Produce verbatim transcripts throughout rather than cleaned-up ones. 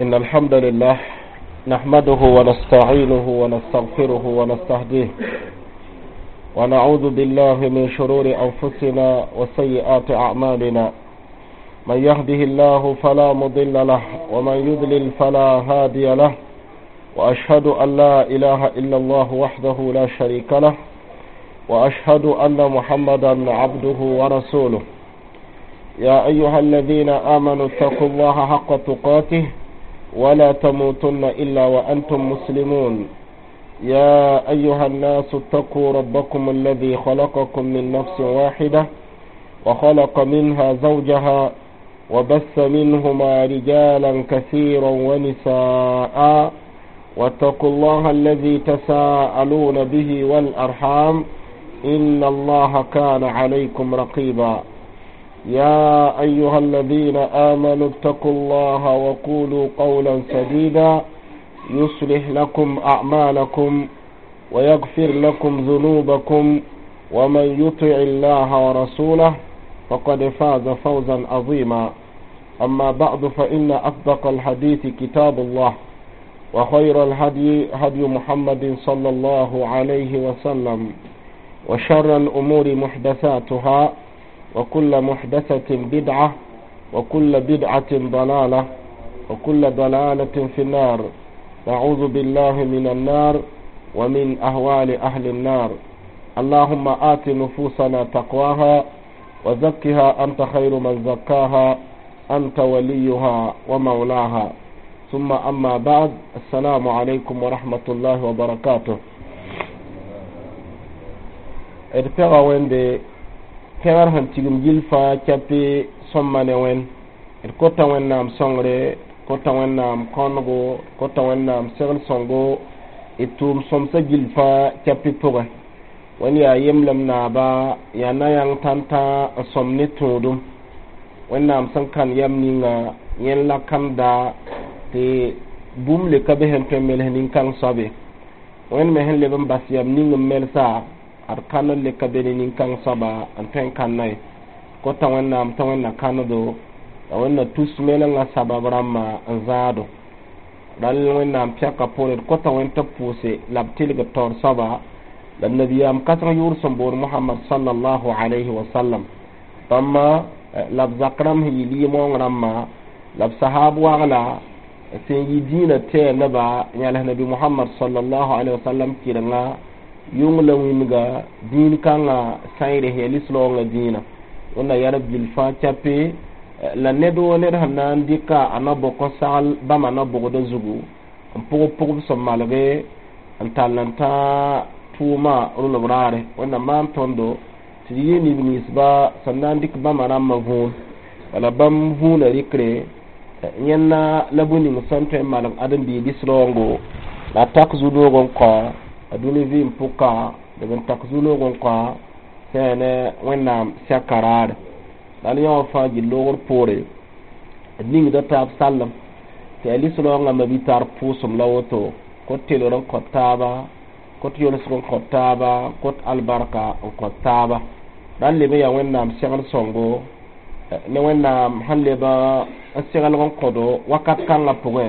إن الحمد لله نحمده ونستعينه ونستغفره ونستهديه ونعوذ بالله من شرور أنفسنا وسيئات أعمالنا من يهده الله فلا مضل له ومن يضلل فلا هادي له وأشهد أن لا إله إلا الله وحده لا شريك له وأشهد أن محمدا عبده ورسوله يا أيها الذين آمنوا اتقوا الله حق تقاته ولا تموتن إلا وأنتم مسلمون يا أيها الناس اتقوا ربكم الذي خلقكم من نفس واحدة وخلق منها زوجها وبث منهما رجالا كثيرا ونساء واتقوا الله الذي تساءلون به والأرحام إن الله كان عليكم رقيبا يا أيها الذين آمنوا اتقوا الله وقولوا قولا سديدا يصلح لكم أعمالكم ويغفر لكم ذنوبكم ومن يطع الله ورسوله فقد فاز فوزا عظيما أما بعد فإن أصدق الحديث كتاب الله وخير الهدي هدي محمد صلى الله عليه وسلم وشر الأمور محدثاتها وكل محدثة بدعة وكل بدعة ضلالة وكل ضلالة في النار نعوذ بالله من النار ومن أهوال أهل النار اللهم آت نفوسنا تقواها وزكها أنت خير من زكاها أنت وليها ومولاها ثم أما بعد السلام عليكم ورحمة الله وبركاته d pɛga wẽnde pẽgr sẽn tigim gill fãa kɛpɩ sõmba ne wẽnd d kota wẽnnaam sõngre kota wẽnnaam kõnego kota wẽnnaam segl sõngo d tʋʋm sõmsã gill fãa kɛpɩ pʋgẽ wẽnd yaa yemblem naaba yaa na-yãng tãn-tãa n sõm ne tũudum wẽnnaam sẽn kãn yam ninga yẽnd la kãnda tɩ bũmb le ka be sẽn tõe n mels nin-kãng soabe wẽnd me sẽn leb n bas yam ning n melsa ad kãn n le ka be ne nin-kãng soaba n tõe n kãnna ye kota wẽnnaam tɩ wẽnna kãnedo la wẽnna tus melengã sabab rãmbã n zãado rãll wẽnnaam pɛka poore d kota wẽnd tɩ b pʋʋse la b tɩlg taoor soaba la nabiyaam kãseng yʋʋr sẽn bood mohamad sallallahu alayhi wa sallam bãmba la b zak rãmb sẽn yɩ lɩɩmoong rãmbã la b sahab wagla sẽn yɩ dĩinã tɛɛndba yãles nabi mohamad sallallahu alayhi wa sallam kɩrenga yʋng la wĩnga dĩin kãngã sãeere ya lislaoongã dĩinã wẽnna yɛr gill fãa kɛpe la ned woo ned sẽn na n dɩka a na-bʋk n sagl bãmba na-bʋgdã zugu n pʋgb pʋgb sẽn malge n tall n tãag tʋʋmã rʋlb raare wẽnna maan tõndo tɩ d yɩ neb ninsba sẽn na n dɩk bãmba rãmbã võon wala bãmb vũunã rɩkre yẽnna la bũ ning sẽn tõe n malg ãdem-biig lislaoongo la a tak zu-noog n kõ a dũni vɩɩm pʋka leb n tak zu-noog n kõ sẽn ne wẽnnaam sɛka raare la yã wã fãa gill loogr poore d ningda taab sallem tɩ yaa lislaoongã ma-bi-tar pʋʋsem la woto kot telgr n kõt taaba kot yolsg n kõt taaba kot albarka n kõt taaba ra n leb n yaa wẽnnaam segl sõngo ne wẽnnaam sẽn leb n seglg n kõdo wakat kãngã pʋgẽ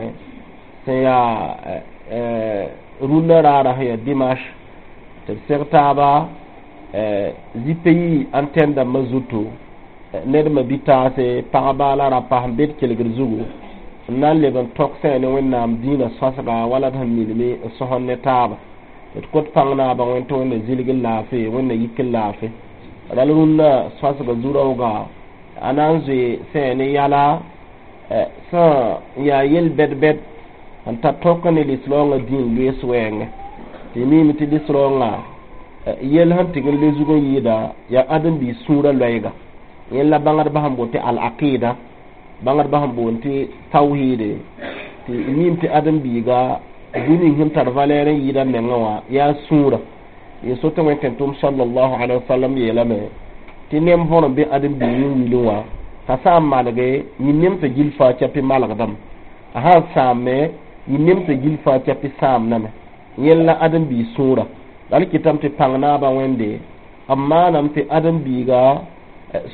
sẽn yaa rũndã raara sẽn yaa dimanche tɩ b seg taaba zĩ-pays antɛn dãmbã zutu ned me bi-taase pagba la rapa sẽn be d kelgd zugu n na n leb n tõk sã ne wẽnnaam dĩinã sõsga wala d sẽn milme n sõsd ne taaba d kot pãng naabã wẽnd tɩ wẽnna zilg n laafɩ wẽnna yik n laafɩ ral rũndã sõsga zu-raooga a na n zoe sã ne yala sẽn yaa yel-bɛd-bɛd n ta tõk ne lislaoongã dĩin loees wɛɛngẽ tɩ miime tɩ lislaoongã yel sẽn tɩg n le zug n yɩɩda yaa ãdem-biis sũurã loɛɛga yẽnd la bãngdbã sẽn boond tɩ al-aqida bãngdbã sẽn boond tɩ tawhide tɩ miime tɩ ãdem-biiga bũmb ning sẽn tar valɛɛr n yɩɩda mengã wã yaa sũurã yẽ so tɩ wẽn tẽn-tʋm sallallahu alaihi wasallam yeelame tɩ nem võr n be ãdem-biig yĩn-wilẽ wã t'a sã n malge yĩn-nemsã gill fãa kɛpɩ malgdame a sã n sãame yĩn-nemsã gill fãa kɛpɩ sãamdame yẽnd la ãdem-biig sũurã la d kɩtame tɩ pãng naabã wẽnde b maaname tɩ ãdem-biiga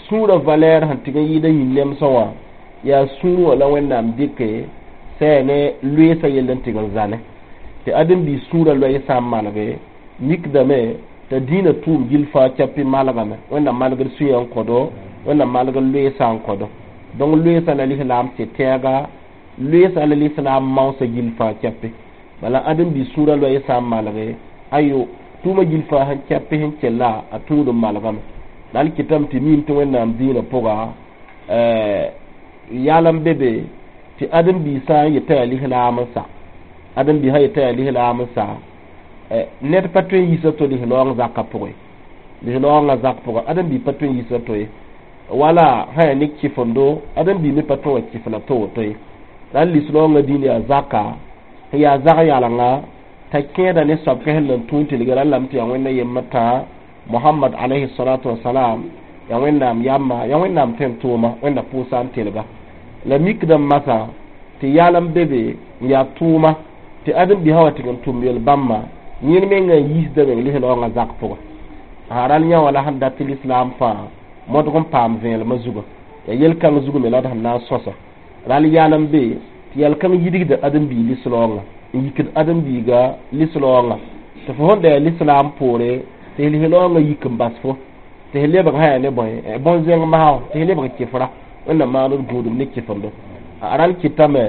sũurã valɛɛr sẽn tɩg n yɩɩda yĩn-nemsã wã yaa sũur wã la wẽnnaam dɩke sã ne loeesã yell n tɩg n zane tɩ ãdem-biis sũurã loɛɛ sã n malge mikdame t'a dĩinã tʋʋm gill fãa kɛpɩ malgame wẽnnaam malgd sũyã n kõdo wẽnnaam malgd loeesã n kõdo donc loeesã la lislaam sɩ-tɛɛga loeesã la lislaam maoosã gill fãa kɛpɩ bala ãdem-biis sũurã loɛɛ sã n malge ayo tʋʋmã gill fãa sẽn kɛpɩ sẽn kella a tũud n malgame la al kɩtame tɩ miim tɩ wẽnnaam dĩinã pʋga yal n be be tɩ ãdem-biisã n yetã yaa lislaam n sa ãdem-biisã yetã yaa lislaam n sa ned pa tõe n yiisa to lislaoong zakã pʋgẽ lislaoongã zak pʋgã ãdem-biig pa tõe n yiisa to ye wala sã yaa ne kɩfendo ãdem-biig me pa tõe wa kɩf la to woto ye la lislaoongã dĩin yaa zaka sẽn yaa zag yalenga t'a kẽeda ne soab kãsel n tũun tilga ra lame tɩ yaa wẽnna yembr tã mohamad alayhi salatu wasalam yaa wẽnnaam yamba yaa wẽnnaam tõe n tʋʋma wẽnna pʋʋsa n telga la mikdame masã tɩ yal n be be n yaa tʋʋma tɩ ãdem-biisã wa tɩg n tʋm yel bãmba yẽnd menga n yiisda meng lislaoongã zak pʋga ral yã wala sẽn dat tɩ lislaam fãa modg n paam vẽelemã zuga yaa yel-kãng zug me la d sẽn na n sõsa ral yal n be tɩ yɛl-kãng yidgda ãdem-biig lislaoongã n yikd ãdem-biiga lislaoongã tɩ fo sẽn da yaa lislaam poore tɩ lislaoongã yik n bas fo tɩ f lebg sã yaa ne bõe bõn-zẽng masã tɩ f lebg kɩfra wẽnnaam maand gũudum ne kɩfendo ral kɩtame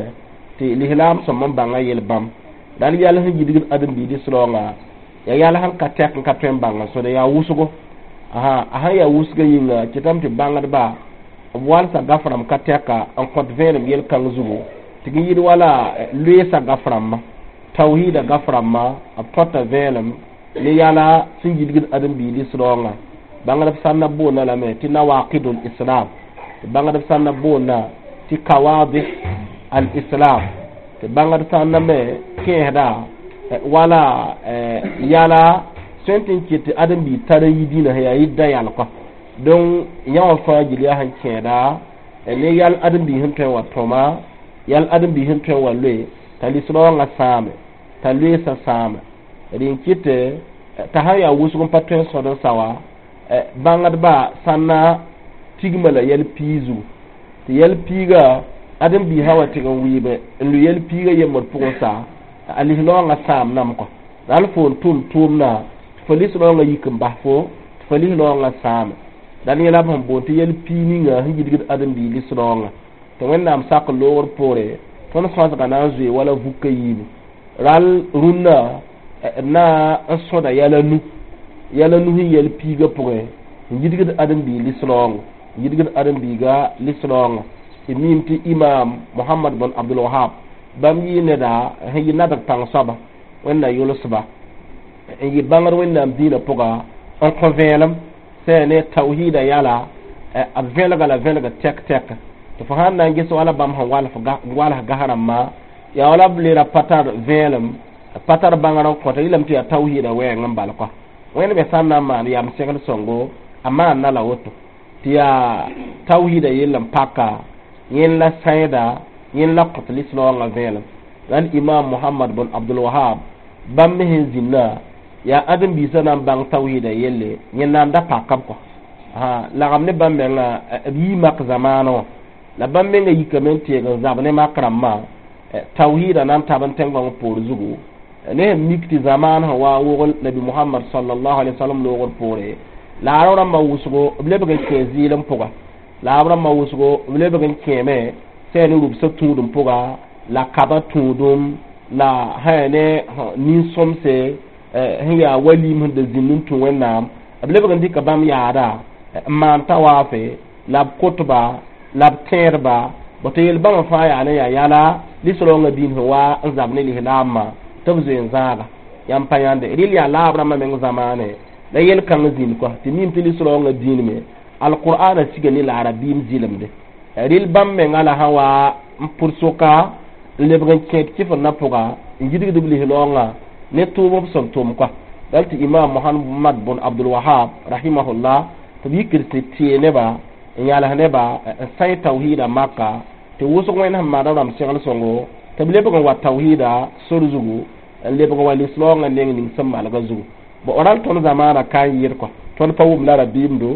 tɩ lislaam sõm n bãnga yel-bãmb ral yɛl sẽn yidgd ãdem-biig lislaoongã yaa yɛl sẽn ka tɛk n ka tõe n bãnga sõda yaa wʋsgo a sẽn yaa wʋsgã yĩnga kɩtame tɩ bãngdba b walsa gaf-rãmb ka tɛka n kõt vẽenem yel-kãng zugu tɩ g yɩd wala loeesã gaf-rãmbã tawhiida gaf-rãmbã b kõta vẽenem ne yala sẽn yidgd ãdem-biig lislaoongã bãngdb sãnna boonda lame tɩ nawaqidul islam tɩ bãngdb sãnna boonda tɩ kawadih al islam tɩ bãngd sãnna me kẽesda wala yala tõe n tɩ n kɩt tɩ ãdem-biig tar n yi dĩinã sẽn yaa yɩdda yalkɔ donc yã wã fãa gil yaa sẽn kẽeda ne yal ãdem-biig sẽn tõe n wa tõma yal ãdem-biig sẽn tõe n wa loe t'a lislaoongã sãame t'a loeesã sãame d n kɩtɩ t'a sã n yaa wʋsg n pa tõe n sõd n sa wa bãngdba sãnna tigma la yɛl piig zugu tɩ yɛl piiga ãdem-biisã wa tɩg n wɩɩbe n lʋ yɛl piigã yembd pʋgẽ sa a lislaoongã sãam nam kɔ ral fo n tʋm tʋʋmdã tɩ fo lislaoongã yik n bas fo tɩ fo lislaoongã sãame la yẽ la b sẽn boond tɩ yɛl piig ninga sẽn yidgd ãdem-biig lislaoongã tɩ wẽnnaam sak loogr poore tõnd sõsga na n zoe wala vukã yiibu ral rũnnã na n sõda yɛl a nu yɛl a nu sẽn yɛl piigã pʋgẽ n yidgd ãdem-biig lislaoongã n yidgd ãdem-biiga lislaoongã d miim tɩ imam mohamad bn abdulwahab bãmb yɩ neda sẽn yɩ nadg pãng soaba wẽnna yʋlsba n yɩ bãngd wẽnnaam dĩinã pʋga n kõ vẽelem sã ne tawhiida yala b vẽlga la vẽlga tɛk tɛk tɩ fo sãn na n ges wala bãmb sẽn wals gas rãmbã yaa wala b le ra pa tar vẽelem pa tar bãngr n kõta yɩlame tɩ yaa tawhiida wɛɛng n bal kɔ wẽnd me sã n na n maan yam segl sõngo a maanna la woto tɩ yaa tawhiida yell n paka yẽnd la sãida yẽnd la kõt lislaoongã vẽelem ral imam mohamad bn abdulwahab bãmb me sẽn zĩnna yaa ãdem-biisã na n bãng tawhiida yelle yẽnd na n da pakb kɔ lagem ne bãmb menga b yii mak zamaanã wã la bãmb menga yikame n teeg n zab ne mak rãmbã tawhiida na n tab n tẽn-gõng poor zugu ne sẽn mik tɩ zamaan sẽn wa n wogl nabi mohamad sallallahu alaihi wasallam loogr poore la arab rãmbã wʋsgo b lebg n kẽ zɩɩlem pʋga la arab rãmbã wʋsgo b lebg n kẽeme sã ne rubsã tũudum pʋga la kaba tũudum la sã yaa ne nin-sõmse sẽn yaa walim sẽn da zĩnd n tũ wẽnnaam b lebg n dɩka bãmb yaada n maan tawaafe la b kotba la b tẽedba bõ tɩ yel bãmba fãa yaa ne yaa yala lislaoongã dĩin sẽn wa n zab ne lislaambã tɩ b zoe n zãaga yãmb pa yãnde rɩl yaa laab rãmbã meng zamaane la yel-kãng zĩnd kɔ tɩ mim tɩ lislaoongã dĩin me alqur'ana siga ne la arabiim zɩlemde rɩl bãmb menga la sã wa n pʋd soka n lebg n kẽed kɩfendã pʋga n yidgd b lislaoongã ne tʋʋm b sẽn tʋm kɔ dal tɩ imam mohamad bn abdulwahab rahimahullah tɩ b yikd tɩ tee neba n yals neba n sã tawhiida maka tɩ wʋsg wẽnd sẽn maan rãmb segl sõngo tɩ b lebg n wa tawhiida sor zugu n lebg n wa lislaoongã neng ning sẽn malga zugu bo ral tõnd zamaana ka n yɩɩd kɔ tõnd pa wʋm la rabiimdo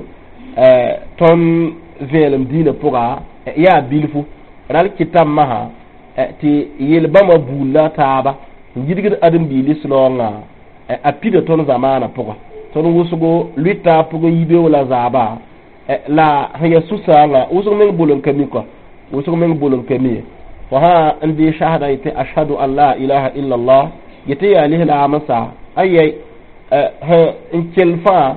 tõnd vẽelem dĩinã pʋga yaa bilfu ral kɩtame masã tɩ Tɩ yel-bãmba buud la taaba n yidgd ãdem-biig lislaoongã a pida tõnd zamaanã pʋga tõnd wʋsgo lʋɩta pʋgẽ yibeoog la zaaba la sẽn yaa sũ-sãoongã wʋsg meng bol n ka mi kɔ wʋsg meng bol n ka mi ye fo sã n dee shahada yetɩ ashhadu an la ilaha illallah yetɩ yaa lislaam n sa ayɛy n kell fãa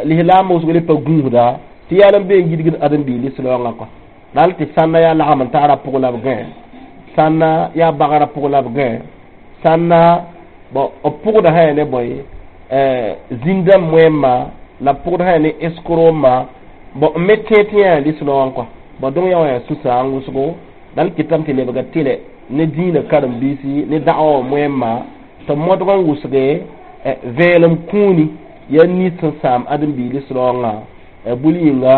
lislaam wʋsg le pa gũusda tɩ yaa n be n yidgd ãdem-biig lislaoongã kɔ dal tɩ sãnna yaa lagm n taara pʋg la b gãe sãnna yaa bagrã pʋg la b gãe sãnna bon b pʋgda sã ya ne bõe zĩn-dãmb moẽmma la b pʋgd sã ya ne eskromma bon n me tẽ tɩ yaa lislaoong kɔ bon dõng yã wã yaa sũ-sãang wʋsgo dal kɩtame tɩ lebga tɩlɛ ne dĩinã karen-biisi ne da'wa wã moẽmma tɩ modg n wʋsge vẽelem kũuni yaa nins sẽn sãam ãdem-biig lislaoongã bul yĩnga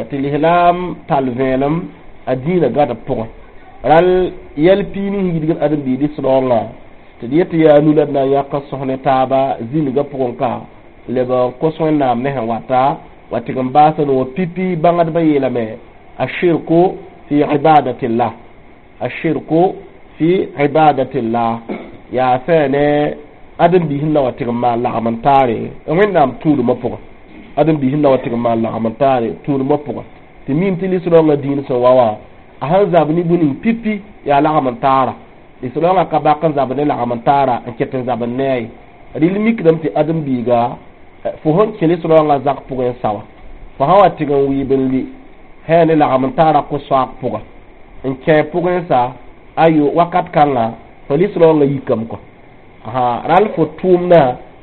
tɩ lislaam tall vẽelem a dĩinã gad b pʋgẽ rãll yɛl piig ning yidgd ãdem-biig lislaoongã tɩ d yet tɩ yaa nu la d na n yãk n sõs ne taaba zĩnigã pʋgẽ ka leb n kos Wẽnnaam ne sẽn wata wa tɩg n baasa no pipi bãngdbã yeelame ashirku fi ibadatillah ashirku fi ibadatillah yaa sã ne ãdem-biis n na wa tɩg n maan lagm n taare Wẽnnaam tũudmã pʋgẽ ãdem-biis n na wa tɩg n maan lagm n taare tũudmã pʋgẽ tɩ mim tɩ lislaoongã dĩin sẽn wa wã a sẽn zab ne bũ-ning pipi yaa lagm n taara lislaoongã ka bak n zab ne lagm n taara n ket n zab n ne a ye rɩl mikdame tɩ ãdem-biiga fo sẽn kẽ lislaoongã zak pʋgẽ n sa wã fo sã wa tɩg n wɩɩb n lʋɩ sã ne lagm n taara ko-soaag pʋga n kẽ pʋgẽ sa ayo wakat kãnga fo lislaoongã yikame kɔ rall fo tʋʋmdã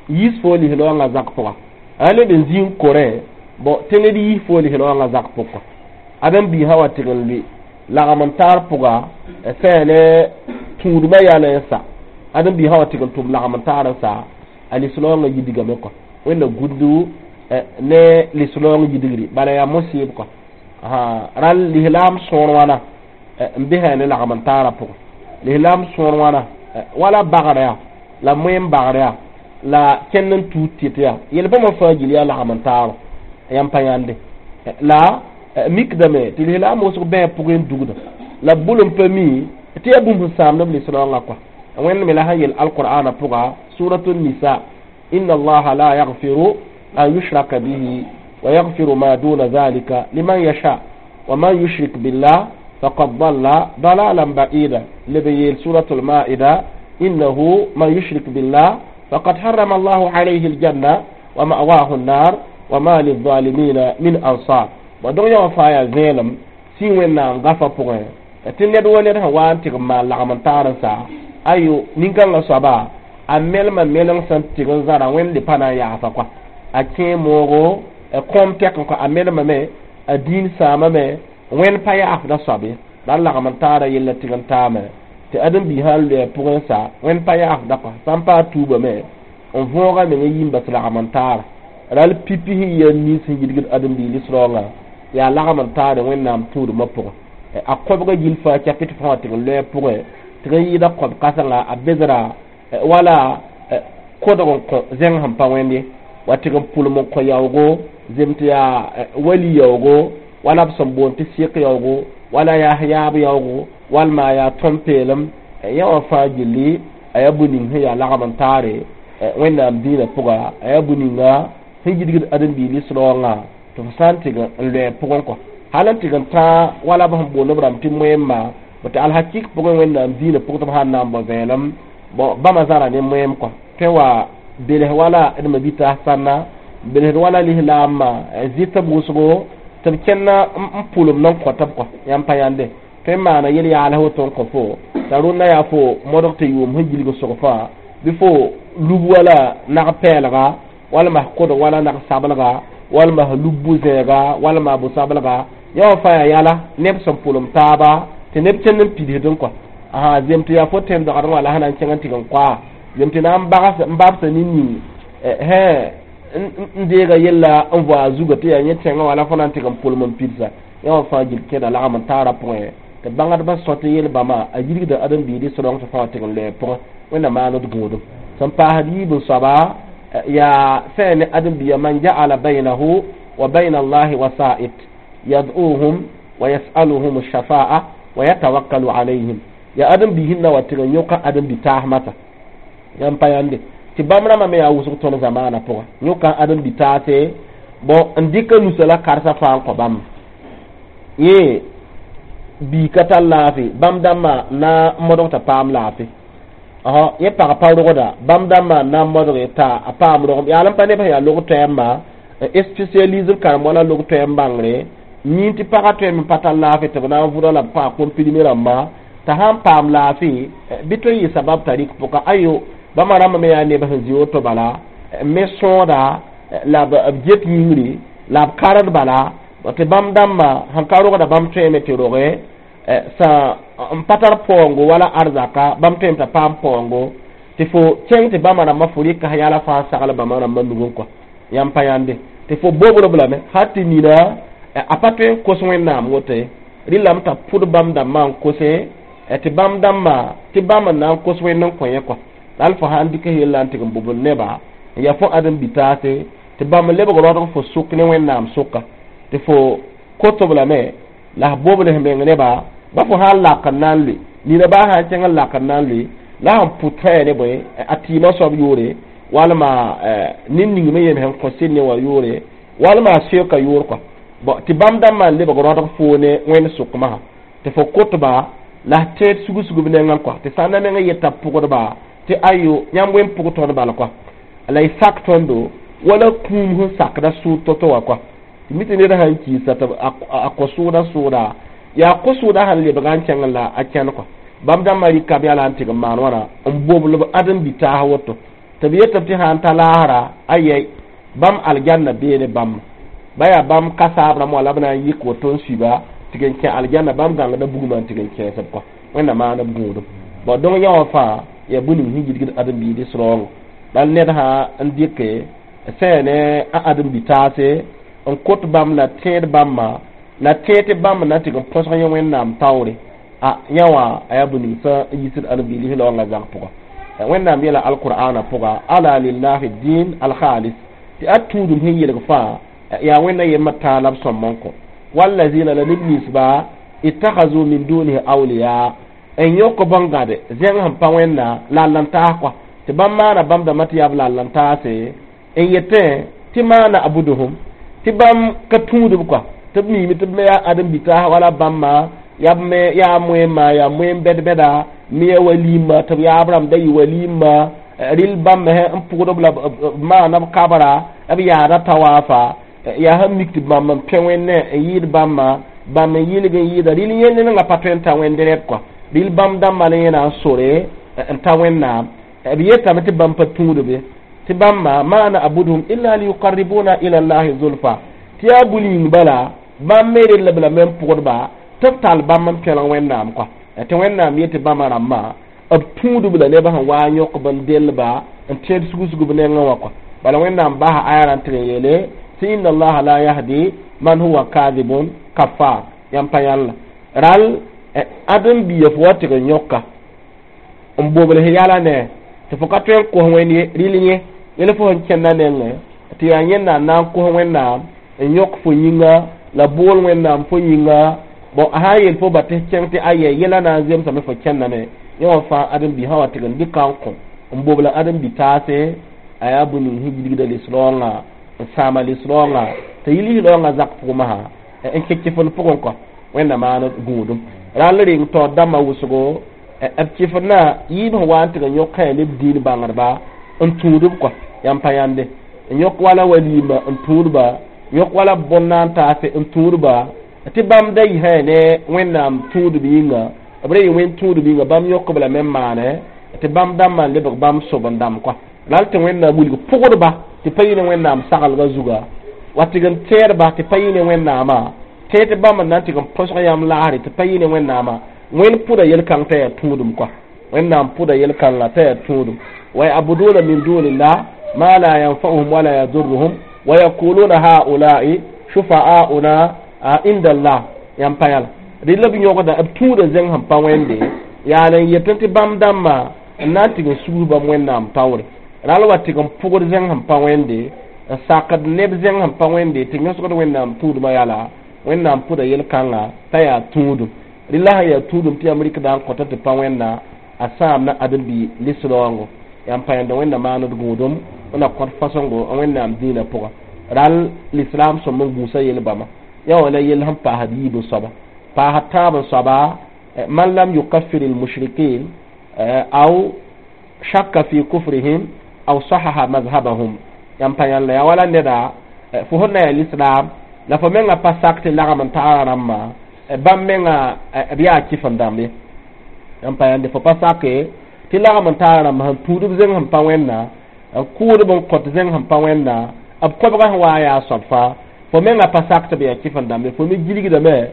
yis fo lislaoongã zak pʋga a leb n zĩ n korẽ bon tɩ ned yis fo lislaoongã zak pʋgã ãdem-biig sã wa tɩg n lʋɩ lagm n taar pʋga sã ne tũudmã yalẽ n sa ãdem-biig sã wa tɩg n tʋm lagm n taar n sa a lislaoongã yidgame kɔ Wẽnna gũndu ne lislaoong yidgri bala yaa mosɩɩb kɔ rall lislaam sõor wãna n besã ne lagm n taarã pʋgẽ lislaam sõor wãna wala bagrã yaa la moẽm bagrã yaa la kẽnd n tuud tɩt yaa yel-bãmba fãa gil yaa lagm n taaro yãmb pa yãnde la mikdame tɩ lislaam wʋsg bãa pʋgẽ n dugda la b bʋl n pa mi tɩ yaa bũmb sẽn sãamd b lislaoongã kɔa Wẽnd me la sẽn yel alqur'ana pʋga suratu nisa inna allaha la yaghfiru an yushraka bihi wa yaghfiru ma duna dhalika liman yasha wa man yushrik billah faqad dalla dalalan ba'ida leb yeel suratul maida innahu man yushrik billah faqad harrama allahu alayhi aljanna wa ma'wahu an-nar wa ma lil-zalimina min ansar bon dõng yã wã fãa yaa vẽelem sĩ Wẽnnaam gafa pʋgẽ tɩ ned wa ned sẽn wa n tɩg n maan lagm n taar n sa ayo nin-kãngã soaba a melma meleng sẽn tɩg n zãra Wẽnd le pa na n yaasa kɔa a kẽe moogo kõom tɛk n kɔ a melmame a dĩin sãamame Wẽnd pa yaafda soab ye la lagm n taara yella tɩg n taame tɩ ãdem-biig sã n loɛ pʋgẽ sa Wẽnd pa yaafda kɔa sã n paa tuubame n võoga meng n yĩmba tɩ lagm n taara ral pipi sẽn yaa nins sẽn yidgd ãdem-biig lislaoongã yaa lagm n taare Wẽnnaam tũudmã pʋgẽ a kõbga gill fãa chapitre fãa wã tɩg n loɛ pʋgẽ tɩg n yɩɩda kõb kãsenga a bedra wala kodg n kõ zẽng sẽn pa wẽnd ye wa tɩg n pʋlem n kõ yaoogo zem tɩ yaa wali yaoogo wala b sẽn boond tɩ sɩk yaoogo wala yaa yaab yaoogo walma yaa tõm peelem yã wã fãa gilli a yaa bũ-ning sẽn yaa lagm n taare Wẽnnaam dĩinã pʋga a yaa bũ-ninga sẽn yidgd ãdem-biig lislaoongã tɩ fo sã n tɩg n loɛ pʋgẽ kɔ hal n tɩg n tã wala b sẽn boond b rãmb tɩ moẽmma tɩ alhakik pʋgẽ Wẽnnaam dĩinã pʋg tɩ b sãn na n bao vẽelem bon bãmba zãra ne moẽm kɔ tõe wa bels wala d mabita sãnna belsd wala lislaamã zɩt b wʋsgo tɩ b kẽnna n pʋlem n kõt b kɔ yãmb pa yãnde tõe n maana yel-yaals woto n kõ fo t'a rũnnã yaa fo modg tɩ yʋʋm sẽn gilg sog fãa bɩ fo lub wala nag pɛɛlga walma kodg wala nag sablga walma lub bu-zẽega walma bu-sablga yã wã fãa yaa yala neb sẽn pʋlem taaba tɩ neb kẽnd n pidsd n kɔ asa zem tɩ yaa fo tẽn dogdẽ wã la sã na n kẽng n tɩg n koa zem tɩ na n bags n babsa nin-ning hẽ n deega yella n voa a zuga tɩ yaa yẽ tẽngã wala fo na n tɩg n pʋlem n pidsa yã wã fãa gil kẽeda lagm n taara pʋgẽ tɩ bãngdbã sõt yel-bãmba a yirgda ãdem-biig srong tɩ fãa tɩg n loɛ pʋgẽ Wẽnna maand d gũudum sẽn paasd yiib n soaba yaa sã ne ãdem-biigã man ja'ala baynahu wa bayna allahi wasa'it yad'uhum wa yas'aluhum ash-shafa'a wa yatawakkalu alayhim Yaa ãdem-biis sẽn na wa tɩg n yõka ãdem-bi-taas mata. Yãmb pa yãnde tɩ bãmb rãmbã me yaa wʋsg tõnd zamaanã pʋga yõka ãdem-bi-taase bõ n dɩka nusa la karsa fãa n kõ bãmba yẽ bii ka tar laafɩ bãmb dãmbã na n modg t'a paam laafɩ ɔsɔ yẽ pag pa rogda bãmb dãmbã n na n modge t'a a paam rogem yaa n pa neb sẽn yaa log toɛɛmbã n spécialise b karen wala log toɛɛm bãngre yĩn tɩ pagã tõeme n pa tar laafɩ tɩ b na n vʋda la b kõ a comprimé rãmba t'a sãn paam laafɩ bɩ tõe n yɩ sabab t'a rɩk pʋka ayo bãmba rãmbã me yaa neb sẽn zĩ woto bala n me sõoda la b get yĩngri la b kared bala tɩ bãmb dãmbã sẽn ka rogda bãmb tõeme tɩ roge sã n pa tar paoongo wala arzaka bãmb tõeme t'a paam paoongo tɩ fo kẽng tɩ bãmba rãmbã fo rɩka yala fãa sagl bãmba rãmbã nugẽ kɔa yãmb pa yãnde tɩ fo bobr lame hal tɩ nina a pa tõe n kos wẽnnaam woto ye rɩlame t'a pʋd bãmb dãmbã n kose tɩ bãmb dãmbã tɩ bãmb n na n kos wẽnd n kõ yẽ kɔa la fo sãn dɩk yella n tɩg n bobl neba n yaa fo ãdem-bi-taase tɩ bãmb lebg raoodg fo sʋk ne wẽnnaam sʋka tɩ fo kotob lame la f bobls meng neba ba fo sãn lak n na n lʋɩ nina baa sãn kẽng n lak n na n lʋɩ la sẽn pʋt fãa ne bõe a tɩɩmã soab yʋʋre walma ned ning me yem sẽn kõ sɩd ne wã yʋʋre walma a seoka yʋʋr kɔa bɔn tɩ bãmb dãmbã n lebg raoodg foo ne wẽnd sʋkmã tɩ fo kotba la f tẽed sug-sugb nengã kɔa tɩ sã n na meng yeta pʋgdba tɩ ayo yãmb wẽn pʋg tõnd bal kɔa la y sak tõndo wala kũum sẽn sakda sʋʋd to-to wã kɔa tɩ mi tɩ ned sãn kiisa tɩ a kõ sʋʋda sʋʋda yaa kõ-sʋʋda sẽn lebga n kẽng la a kẽn kɔa bãmb dãmbã rɩka b yaa n tɩg n maan wãna n bobl b ãdem-bi-taas woto tɩ b yetb tɩ sã n ta laasra ayɛy bãmb aljanna bee ne bãmb ba yaa bãmb kasaab rãmb wã la b na n yɩk woto n suiba tɩg n kẽ aljanna bãmb gãngda bugmã n tɩg n kẽesb kɔa wẽnnaam maana b gũudum bɔn dõng yã wã fãa yaa bũmb ning sẽn yidgd ãdem-biid sraoongo bal ned sã n dɩke sã ne a ãdem-bi-taase n kot bãmb la tẽed bãmba la tẽed tɩ bãmb na tɩg n põsg yẽ wẽnnaam taoore a yã wã a yaa bũmb ning sã n yisd ãdem-biid laoongã zag pʋga wẽnnaam yeela alqur'ana pʋga ala lillahi din alkhalis tɩ a tũudum sẽn yelg fãa yaa wẽnna yembã tãa la b sõmb n kõ wallazina la neb ninsba ittakhadhu min dunihi awliya n yõk bõn-gãde zẽng sẽn pa wẽnna la a lan-taas kɔa tɩ bãmb maana bãmb dãmbã tɩ yaa b la lan-taase n yetẽ tɩ maana abuduhum tɩ bãmb ka tũudb kɔa tɩ b miime tɩ b me yaa ãdem-bi-taas wala bãmba yaa b me yaa moẽmma yaa moẽm bɛd-bɛda me ya walimma tɩ b yaab rãmb da yɩ walimma rɩl bãmb me n pʋgd b la b maana b kabra b yaada tawaafa yaa sẽn mik tɩ bãmb n pẽ wẽnnẽ n yɩɩd bãmba bãmb n yɩlg n yɩɩda rɩl yẽnd ninga pa tõe n ta wẽnd rɛd kɔa rɩl bãmb dãmbã la yẽ na n sore n ta wẽnnaam b yetame tɩ bãmb pa tũudbe tɩ bãmba ma na'buduhum illa liyuqarribuna ila llahi zulfa tɩ yaa bũmb yĩng bala bãmb me rella b lame n pʋgdba tɩ b tall bãmb n pẽlg wẽnnaam kɔa tɩ wẽnnaam yetɩ bãmba rãmbã b tũudb la neb sẽn waa n yõkb n dellba n tẽed sug-sugb nengẽ wã kɔa bala wẽnnaam basa aya rã n tɩg n yeele tɩ inna allaha la yahdi man huwa kadibun kafar yãmb pa yãlla rall ãdem-biya fo wa tɩg n yõka n bobls yala ne tɩ fo ka tõe n kos wẽnd ye rɩl yẽ yẽl fo sẽn kẽnda nengẽ tɩ yaa yẽnda n na n kos wẽnnaam n yõk fo yĩnga la bool wẽnnaam fo yĩnga bɔn a sã n yeel fo ba tɩ kẽng tɩ ayɛ yɛla na n zemsame fo kẽndame yẽ wã fãa ãdem-bi sã wa tɩg n dɩka n kõ n bobla ãdem-bi-taase a yaa bũmb ning sẽn yidgda lis-raoongã n sãama lis-raoongã tɩ yɩ lis-raoongã zak pʋgmã n kẽ kɩfend pʋgẽ kɔ wẽnna maan gũudum rall reng taoor dãmbã wʋsgo b kɩfendã yɩɩb sẽn wa n tɩg n yõk ne b dĩin bãngdba n tũudb kɔ yãmb pa yãnde n yõk wala walima n tũudba yõk wala bõn-naan taase n tũudba tɩ bãmb da yisã ne wẽnnaam tũudb yĩnga b ra yɩ wẽnd tũudb yĩnga bãmb yõkb lame n maane tɩ bãmb dãmbã n lebg bãmb sob n dãmb kɔa ral tɩ wẽnnaam wilg pʋgdba tɩ pa yɩ ne wẽnnaam saglgã zuga wa tɩg n tẽedba tɩ pa yɩ ne wẽnnaamã tẽed tɩ bãmb n na n tɩg n põsg yãmb laasre tɩ pa yɩ ne wẽnnaamã wẽnd pʋda yel-kãng t'a yaa tũudum kɔa wẽnnaam pʋda yel-kãngã t'a yaa tũudum wa yabuduna min dunillah ma la yanfa'uhum wala yadurruhum wa yaquluna haulai shufa'auna inda allah yãmb pa yãla rɩ la b yõgda b tũuda zẽng sẽn pa wẽnde yaa n yetẽ tɩ bãmb dãmbã n na n tɩg n sugl bãmb wẽnnaam taoore ral wa tɩg n pʋgd zẽng sẽn pa wẽnde n sakd neb zẽng sẽn pa wẽnde tɩ yõsgd wẽnnaam tũudmã yala wẽnnaam pʋda yel-kãngã t'a yaa tũudum Rɩla sã yaa tũudum tɩ yãmb rɩkda n kõta tɩ pa wẽnna a sãamna ãdem-bi lis-raoongo. Yãmb pa yãnda Wẽnna maand d gũudum n na kõt fasõngo Wẽnnaam dĩinã pʋga. Ral lislaam sõm n gũusa yel bãmba yã wã la yell sẽn paasd yiib n soaba. Paasd tãab n soaba, man lam yukaffir almushrikin aw shakka fi kufrihim aw sahaha mazhabahum. Yãmb pa yãn la yaa wala neda fo sẽn na yaa lislaam la fo menga pa sak tɩ lagm n tagra rãmbã bãmb menga b yaa kɩf n dãmb ye. Yãmb pa yãnde fo pa sake tɩ lagm n tagra rãmba sẽn tũud b zẽng sẽn pa wẽnna, n kʋʋdb n kõt zẽng sẽn pa wẽnna, b kobga sẽn wa yaa soab fãa, fo menga pa sak tɩ b yaa kɩf n dãmb ye. Fo me gilgdame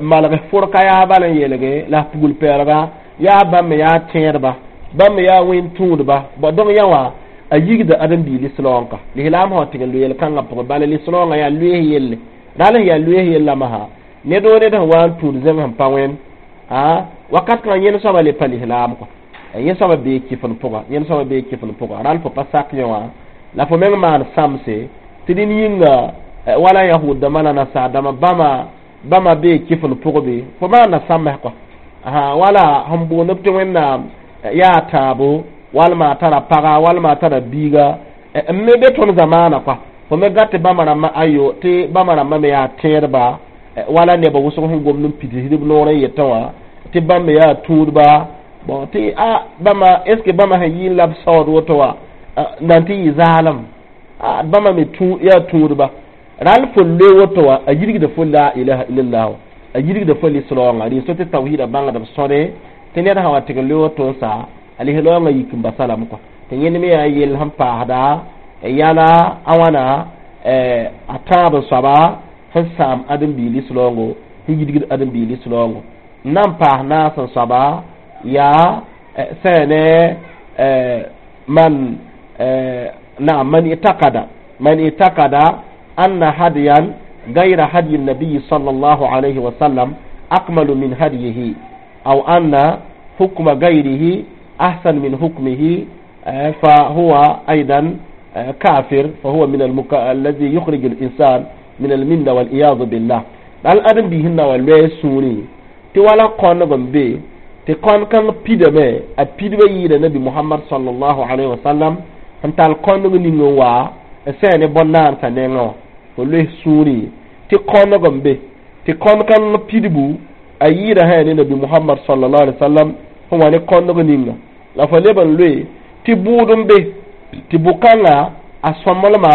malg forka yaa bal n yeelge la pugl pɛɛlga yaa bãmb me yaa tẽedba, bãmb me yaa wẽn-tũudba. Donc yã wã a yigda ãdem-bii lislaoongka. Lislaam sã wa tɩg n loe yel-kãngã pʋgẽ, bala lislaoongã yaa loees yelle. Ral sẽn yaa loees yellame sã ned o ned sẽn wa n tũud zẽng sẽn pa wẽnd wakat kãngã yẽnd soaba le pa lislaam kɔ, yẽ soaba bee kɩf n pʋga, yẽnd soaba bee kɩf n pʋga. Ral fo pa sak yẽ wã la fo meng maan sãmse tɩ dẽnd yĩnga wala yahud dãmbã la nasaar dãmbã bãmba bãmba bee kɩf n pʋgbe fo maana sãmbs kɔ. Wala sẽn boond b tɩ Wẽnnaam yaa tãabo walma a tara paga walma a tara biiga n me be tõnd zamaana kɔa, fo me gat tɩ bãmba rãmbã ayo tɩ bãmba rãmbã me yaa tẽedba wala neba wʋsg sẽn gomd n pidsd b noor n yetẽ wã tɩ bãmb me yaa tũudba. Bon, tɩ a bãmba est ce que bãmba sẽn yɩ n la b saood woto wã nan tɩ yɩ zaalem bãmba me yaa tũudba. Ral fo loe woto wã a yirgda fo la ilaha illallah, a yirgda fo lislaoongã. Rɩ so tɩ tawhida bãngd b sõde tɩ ned sã wa tɩg n loe woto n sa a lislaoongã yik n basalame kɔa. Tɩ yẽnd me yaa yell sẽn paasda yala a wãna a tãab n soaba sẽn sãam ãdem-bii lislaoongo, sẽn yidgd ãdem-bii lislaoongo. N na n paas naas n soaba yaa sã ne man naam man itakada man itakada anna hadiyan gayra hadiyi nabiyi sallallahu alayhi wa sallam akmalu min hadiyihi aw anna hukma gayrihi ahsan min hukmihi فهو أيضا كافر، فهو من المك... الذي يخرج الإنسان من الملة والعياذ بالله. Dal adem biis na wa loe sũurẽ tɩ wala kõneg n be tɩ kõn kãng pidame a pidbã yɩɩda Nabi Mohamad sallallahu alaihi wasallam sẽn tall kõneg ning n wa n sã ne bõn-naansã nengã wã. Fo loes sũurẽ tɩ kõneg n be tɩ kõn kãng pidbu a yɩɩda sã ne Nabi Mohamad sallallahu alaihi wasallam sẽn wa ne kõneg ninga, la fo leb n loe tɩ bʋʋd n be tɩ bʋ-kãngã a sõmblmã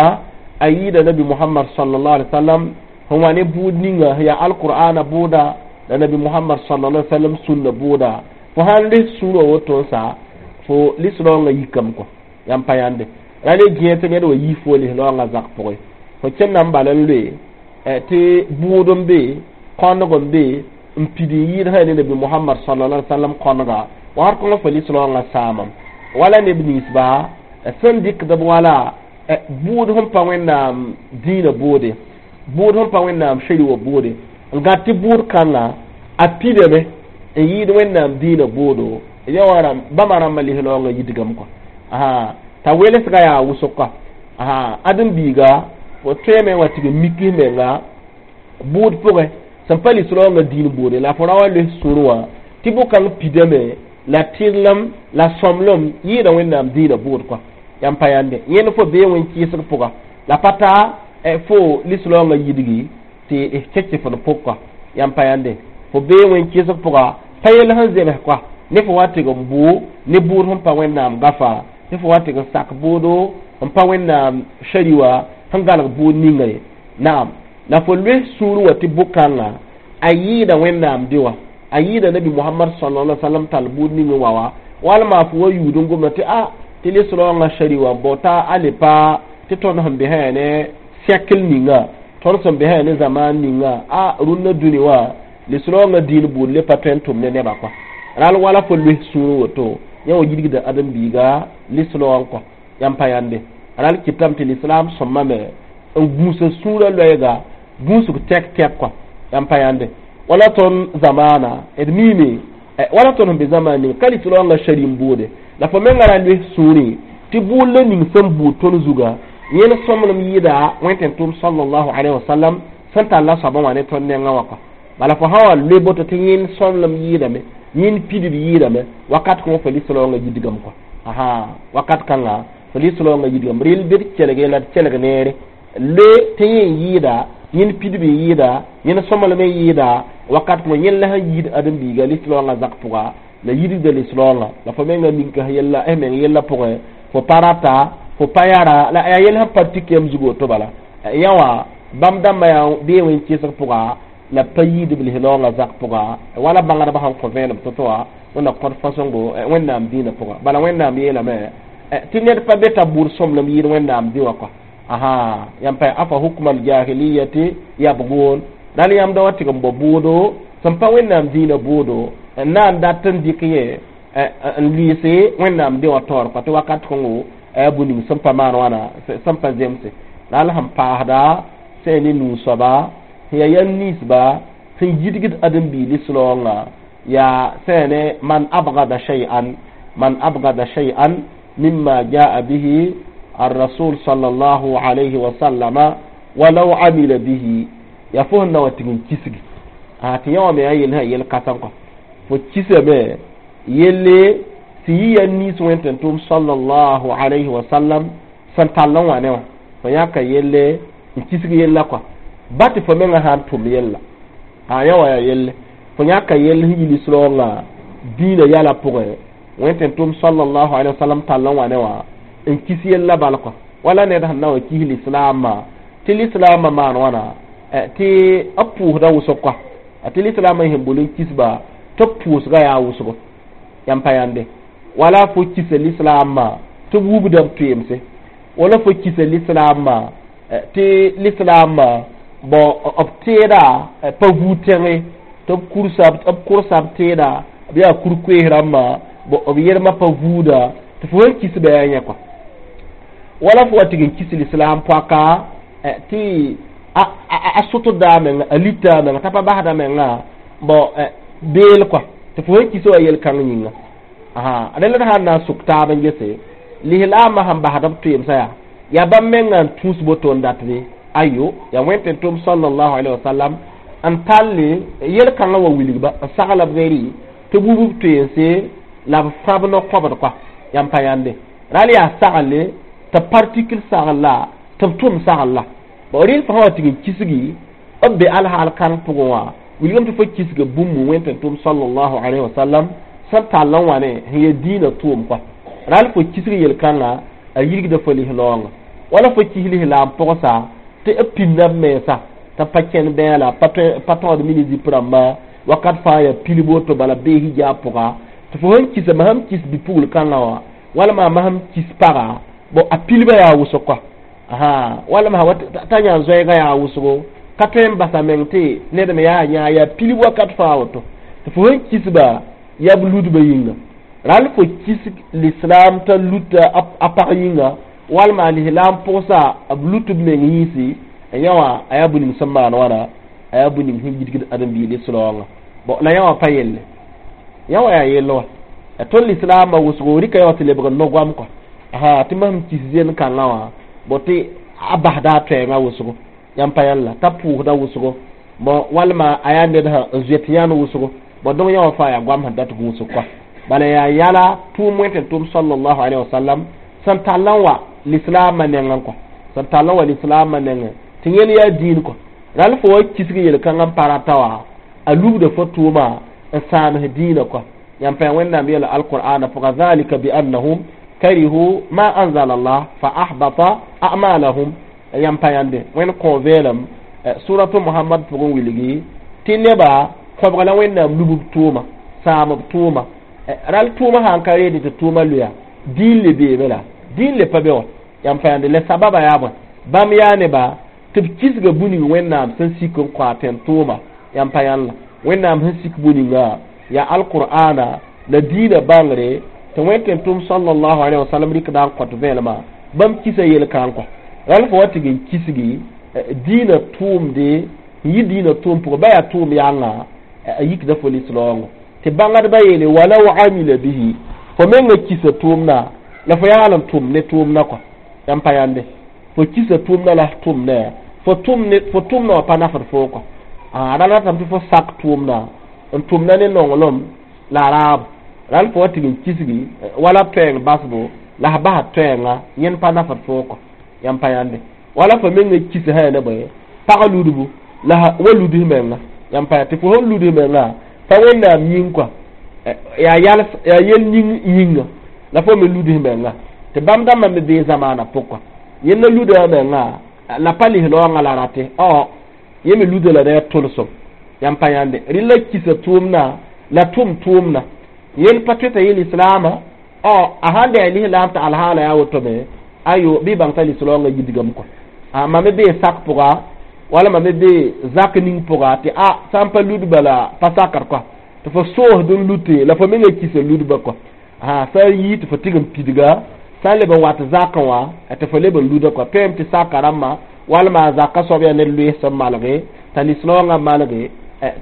a yɩɩda Nabi Mohamad sallallahu alaihi wasallam sẽn wa ne bʋʋd ninga sẽn yaa alqur'ana bʋʋda la Nabi Mohamad sallallahu alaihi wasallam sũnna bʋʋda. Fo sãn les sũurã woto n sa fo lislaoongã yikame kɔ. Yãmb pa yãnde ra le gẽe tɩ ned wa yi fo lislaoongã zak pʋgẽ. Fo kẽnda n bal n loe tɩ bʋʋd n be kõneg n be n pid n yɩɩd sã ne Nabi Mohamad sallallahu alaihi wasallam kõnega wakat kõngã fo lislaoongã sãamam. Wala neb ninsba sẽn dɩkd b wala bʋʋd sẽn pa Wẽnnaam dĩinã bʋʋde, bʋʋd sẽn pa Wẽnnaam sheri wa bʋʋde, n gãd tɩ bʋʋd kãngã a pidame n yɩɩd Wẽnnaam dĩinã bʋʋdo ya wã bãmba rãmbã lislaoongã yidgame kɔ t'a welsga yaa wʋsg kɔ. Ãdem-biiga fo tõeme wa tɩg n mik menga bʋʋd pʋgẽ sẽn pa lislaoongã dĩin bʋʋde la fo ra wa loes sũur wã tɩ bʋ-kãng pidame la tɩrlem la sõmblem yɩɩda Wẽnnaam dĩinã bʋʋd kɔ. Yãmb pa yãnde yẽnd fo bee wẽn-kɩɩsg pʋga la pa taa fo lislaoongã yidgi tɩ kẽk fo pʋg kɔ. Yãmb pa yãnde fo bee wẽn-kɩɩsg pʋga pa yell sẽn zems kɔ ne fo wa tɩg n bʋ ne bʋʋd sẽn pa Wẽnnaam gafa, ne fo wa tɩg n sak bʋʋdo n pa Wẽnnaam shari wã sẽn galg bʋʋd ninga ye. Naam, la fo loes sũur wã tɩ bʋ-kãngã a yɩɩda Wẽnnaam dɩ wã, a yɩɩda Nabi Mohamad sallallahu alaihi wasallam tall bʋʋd ning n wa wa walma fo wa yuud n gomda tɩ a tɩ lislaoongã shari wã bao t'a a le pa tɩ tõnd sẽn be sã ne siècle ninga, tõnd sẽn be sã ne zaman ninga a rũnnã dũni wã lislaoongã dĩin bʋʋd le pa tõe n tʋm ne nebã kɔa. Ral wala fo loes sũur woto yã wa yidgda ãdem-biiga lislaoong kɔ. Yãmb pa yãnde ral kɩtame tɩ lislaam sõmame n gũusa sũurã loɛɛga gũusg tɛk tɛk kɔ. Yãmb pa yãnde wala tõnd zamaana d miime wala tõnd sẽn be zamaan ning ka lislaoongã shari n bʋʋde la fo menga ra loes sũurẽ tɩ bʋʋd la ning sẽn buud tõnd zuga yẽnd sõmblem yɩɩda Wẽn-tẽn-tʋʋm sallallahu alaihi wasallam sẽn tall a soabã wã ne tõnd nengã wã kɔ. Bala fo sã wa loe boto tɩ yẽnd sõmblem yɩɩdame, yẽnd pidb yɩɩdame, wakat kõn fo lislaoongã yidgame kɔa. Asa wakat kãnga fo lislaoongã yidgame. Rel bɩ d kelge la d kelg neere. Loe tɩ yẽ n yɩɩda, yẽnd pidb n yɩɩda, yẽnd sõmblem n yɩɩda, wakat kõn yẽnd la sẽn yiid ãdem-biiga lislaoongã zak pʋga la yidgda lislaoongã. La fo menga ninka yella eh meng yella pʋgẽ fo pa rata, fo pa yara la yaa yell sẽn pa tik yam zugu woto. Bala yã wã bãmb dãmbã yaa bee wẽn-kɩsg pʋga la pa yiidb lislaoongã zak pʋga, wala bãngdbã sẽn kõ vẽenem to-to wã wẽnna kõt fãsẽngo Wẽnnaam dĩinã pʋga. Bala Wẽnnaam yeelame tɩ ned pa be t'a bʋʋd sõmblem yɩɩd Wẽnnaam dĩ wã kɔa. Asa yãmb pa afa hukma aljahiliyati yabgun. Dal yãmb da wa tɩg n bao bʋʋdo sẽn pa Wẽnnaam dĩinã bʋʋdo n na n dat n dɩk yẽ n lʋɩɩse Wẽnnaam dĩ wã taoor kɔa, tɩ wakat kõngo a yaa bũ-ning sẽn pa maan wãna, sẽn pa zemse. La al sẽn paasda sẽn ne nuu-soaba sẽn yaa yam ninsba sẽn yidgd ãdem-biig lislaoongã yaa sẽn ne man abgada shay'an, man abgada shay'an mimma jaa bihi الرسول صلى الله عليه وسلم ولو عمل به. Ya fo sẽn na wa tɩg n kisgi a tɩ yã wã me yaa yell sã yel kãsem kɔ. Fo kisame yelle tɩ yɩ ya niis wẽn-tẽn-tʋʋm sallallahu alayhi wa sallam sẽn tall n wã ne wã, fo yãka yelle n kisg yella kɔa, ba tɩ fo mengã sã n tʋm yella a yã wã yaa yelle. Fo yãka yell sẽn yi lislaoongã dĩinã yɛla pʋgẽ, wẽn-tẽn-tʋʋm sallallahu alayhi wa sallam tall n wã ne wã n kis yella bal kɔa. Wala ned sẽn na wa kis lislaamã tɩ lislaamã maan wãna tɩ b pʋʋsda wʋsg kɔa, tɩ lislaamã sẽn bol n kisba tɩ b pʋʋsga yaa wʋsgo yãmb pa yãnde. Wala fo kisa lislaamã tɩ b wubda b toeemse, wala fo kisa lislaamã tɩ lislaamã bõ b teeda pa vuu tẽge tɩ b kursa b kʋrsa b teeda b yaa kur-koees rãmbã, b yelmã pa vuuda tɩ fo sẽn kisba yaa yẽ kɔa. Wala fo wa tɩg n kis lislaam poaka tɩ a sʋtda a menga, a lita a menga t'a pa basda menga bõ beel kɔa, tɩ fo sẽn kisa wa yel-kãng yĩnga. Rẽnd d sãn na n sʋk taab n gese lislaamã sẽn basd b toeemsã yaa yaa bãmb menga n tũus boto n dat be ayo yaa wẽn-tẽn-tʋʋm sallallahu alaihi wasallam n talle yel-kãngã wa wilgba n sagla b reri tɩ b wub b toeense la b fãb no-kõbd kɔa. Yãmb pa yãnde ral yaa sagle tɩ partikl sagl la tɩ b tʋm sagl la bon. Rɩl fo sã wa tɩg n kisgi b be alhaal kãng pʋgẽ wã wilgame tɩ fo kisga bũmb wẽn-tẽn-tʋʋm sallallahu alaihi wasallam sẽn tall n wã ne sẽn yaa dĩinã tʋʋm kɔa. Ral fo kisg yel-kãngã a yirgda fo lislaoongã. Wala fo kis lislaam pʋgsa tɩ b pĩnda b mensa t'a pa kẽn bɛɛla, pa tõod mini zip rãmba wakat fãa yaa pilb woto bala bee hijaab pʋga, tɩ fo sẽn kisa masam kis bi-pugl kãngã wã walma masam kis paga bon a pilbã yaa wʋsg kɔa, walma t'a yã zoɛɛgã yaa wʋsgo ka tõe n basa meng tɩ ned me yaa yã yaa pilb wakat fãa woto tɩ fo sẽn kisba yaa b ludbã yĩnga. Ral fo kis lislaam t'a luta a pag yĩnga walma lislaam pʋgsa b lut b meng yĩnsi yã wã a yaa bũ-ning sẽn maan wãna, a yaa bũ-ning sẽn yidgd ãdem-biig lislaoongã. Bon, la yã wã pa yelle, yã wã yaa yell wã tõnd lislaamã wʋsgo rɩka yã wã tɩ lebg n no-goam kɔa. Asa tɩ masem kis zen kãngã wã bõ tɩ a basda a toɛɛngã wʋsgo yãmb pa yãlla t'a pʋʋsda wʋsgo bon, walma a yaa ned sã n zoet yãnd wʋsgo bon. Donc yã wã fãa yaa goam sẽn dat gũusg kɔa. Bala yaa yala tʋʋm wẽn-tẽn-tʋʋm sallallahu alaihi wasallam sẽn tall n wa lislaamã nengẽ kɔa, sẽn tall n wa lislaamã nengẽ tɩ yẽl yaa dĩin kɔa. Ral fo wa kisg yel-kãngã n pa rata wã a lubda fo tʋʋma n sãams dĩinã kɔa. Yãmb pa Wẽnnaam yeela alqur'ana pʋga dhalika biannahum karihu ma anzala Allah fa ahbata a'malahum. Yãmb pa yãnde Wẽnd kõ veelem suratu Muhammad pʋgẽ wilgi tɩ neba kõbg la Wẽnnaam lub b tʋʋma sãam b tʋʋma. Ral tʋʋma sã n ka reede tɩ tʋʋma loya dĩin le beeme la dĩin le pa be wã. Yãmb pa yãnde la sababa yaa bõe? Bãmb yaa neba tɩ b kisga bũ-ning Wẽnnaam sẽn sik n kõ a tẽn-tʋʋma. Yãmb pa yãnd la Wẽnnaam sẽn sik bũ-ningã yaa alqur'ana la dĩinã bãngre tɩ wẽn-tẽn-tʋʋm sallallahu alaihi wasallam rɩkda n kõt vẽelmã bãmb kisa yel-kãng kɔ. Ral fo wa tɩg n kisgi dĩinã tʋʋmde n yɩ dĩinã tʋʋm pʋgẽ ba yaa tʋʋm yãnga a yikda fo lislaoongã tɩ bãngdbã yeele walaw amila bihi fo mengã kisa tʋʋmda la fo yaal n tʋm ne tʋʋmdã kɔ. Yãmb pa yãnde fo kisa tʋʋmdã la tʋm ne fo tʋm ne fo tʋmdã wã pa nafd foo kɔ. A ra ratame tɩ fo sak tʋʋmda n tʋmda ne nonglem la raabo ral fo wa tɩg n kisgi wala toɛɛng basbo la sã basa toɛɛnga yẽnd pa nafd foo kɔ yãmb pa yãnde wala fo menga kis sã yaa ne bõe pag ludbu la wa luds menga yãmb pa tɩ fo sẽn luds menga pa wẽnnaam yĩng kɔa yaa yals yaa yel ning yĩnga la fo me luds menga tɩ bãmb dãmbã me bee zamaana pʋg kɔa yẽnda luda menga la pa lis-raoongã la rate ɔ yẽ me luda la ne tʋlsem yãmb pa yãnde rẽ la kisa tʋʋmdã la tʋm tʋʋmdã yẽnd pa tõe t'a yel islaamã ɔ a sãn dɩ a lislaam tɩ alhaala yaa woto me ayo bɩ bãng t'a lis-raoongã yidgame kɔa a mam me bee sak pʋga wala mam me bee zak ning pʋga tɩ a sã n pa ludba la pa sakd kɔa tɩ fo soosd n lute la fo menga kisa ludba kɔa a sã n yii tɩ fo tɩg n pidga sã n leb n wat zakẽ wã tɩ fo leb n luda kɔa tõeme tɩ saka rãmbã walma a zaka soab yaa ned loees sẽn malge t'a lis-raoongã malge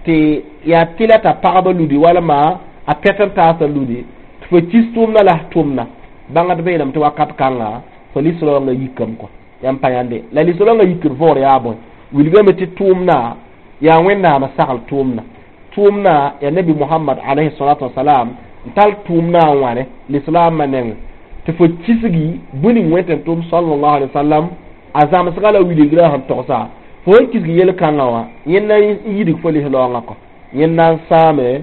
tɩ yaa tɩla t'a pagba ludi walma a pɛt n taasã ludi tɩ fo kis tʋʋmdã la tʋmna bãngdbã yeelame tɩ wakat kãnga fo lis-raoongã yikame kɔa yãmb pa yãnde la lis-raoongã yikd võor yaa bõe wilgame tɩ tʋʋmdã yaa wẽnnaamã sagl tʋʋmdã tʋʋmdã yaa nabi mohamad alayhi salatu wasalam n tall tʋʋmdã n wãne lislaamã nengẽ tɩ fo kisgi bũn ning wẽn tɩ tʋʋm sallallahu alaihi wasallam a zãmsga la wilgrã sẽn togsa fo sẽn kisg yel-kãngã wã yẽnd na n yidg fo lis-raoongã kɔ yẽnd na n sãame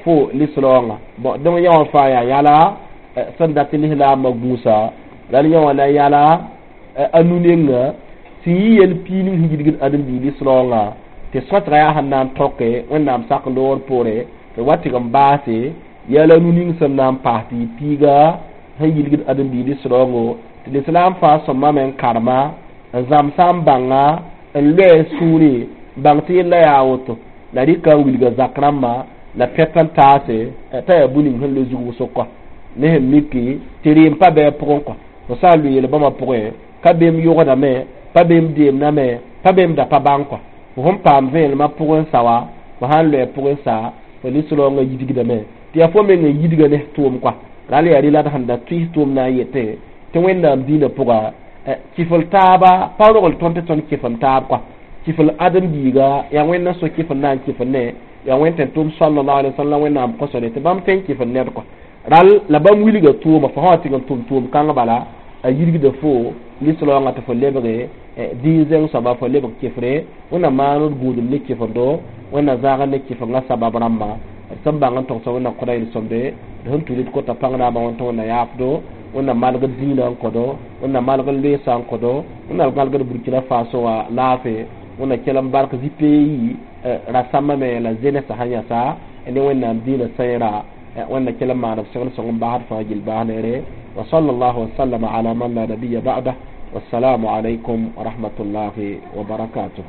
fo lis-raoongã bõn dẽng yã wã fãa yaa yala sẽn dat tɩ lislaambã gũusa la yã wã la yala a nu-nenga sẽn yɩ yel piig ning sẽn yidgd ãdem-biig lis-raoongã tɩ sõtga yaa sẽn na n tõke wẽnnaam sak loor poore tɩ wa tɩg n baase yaa la nu-ning sẽn na n paas tɩ yɩ piiga sẽn yilgd ãdem-biig lis-raoongo tɩ lislaam fãa sõmame n karema n zãmsa n bãnga n loɛ sũurẽ bãng tɩ yella yaa woto la rɩka n wilga zak rãmbã la pɛt n taase t'a yaa bũ ning sẽn loe zug wʋsg kɔ ne sẽn miki tɩ rɩɩm pa bɩ a pʋgẽ kɔ fo sã n lʋɩ yel-bãmã pʋgẽ ka beem yogdame pa beem deemdame pa beem da pa bãng kɔ fo sẽn paam vẽenemã pʋgẽ sa wa fo sãn loɛ pʋgẽ sa fo lis-raoongã yidgdame tɩ yaa fo meng n yidga ne tʋʋm kɔa ral yaa rɩ la d sẽn da tʋɩs tʋʋm na n yetẽ tɩ wẽnnaam dĩinã pʋga kifl taaba pa rogl tõnd tɩ tõnd kɩfem taab kɔa kifl ãdem-biiga yaa wẽnd n so kifl na n kifl ne yaa wẽnd tɩ tʋʋm sallallahu alaihi wasallam wẽnnaam kõsore tɩ bãmb tõe n kifl ned kɔa ral la bãmb wilga tʋʋma fo sã wa tɩg n tʋm tʋʋm kãng bala a yirgda fo lis-raoongã tɩ fo lebge dĩin zẽng soaba fo lebg kɩfre wẽnnaam maan d gũudum ne kɩfendo wẽnnaam zãag ne kɩfengã sabab rãmba d sẽn bãng n togsa wẽnnaam kõda yel-sõmde d sẽn tudд kota pãng naabã wẽn tɩ wẽnna yaafdo wẽnnaam malgd zĩinã n kõdo wẽnnaam malgd loeesã n kõdo wẽnnaam malgd Burkina Faso wã laafɩ wẽnnaam kell n bark zĩ-peeyi rasãmbame la zenesã sẽn yãsa ne wẽnnaam dĩinã sẽera wẽnna kell n maan b segl sõng n basd fãa gill baas neere wa sallallahu wasallama ala man la nabiya ba'dah wassalamu alaykum wa rahmatullahi wa barakatuh.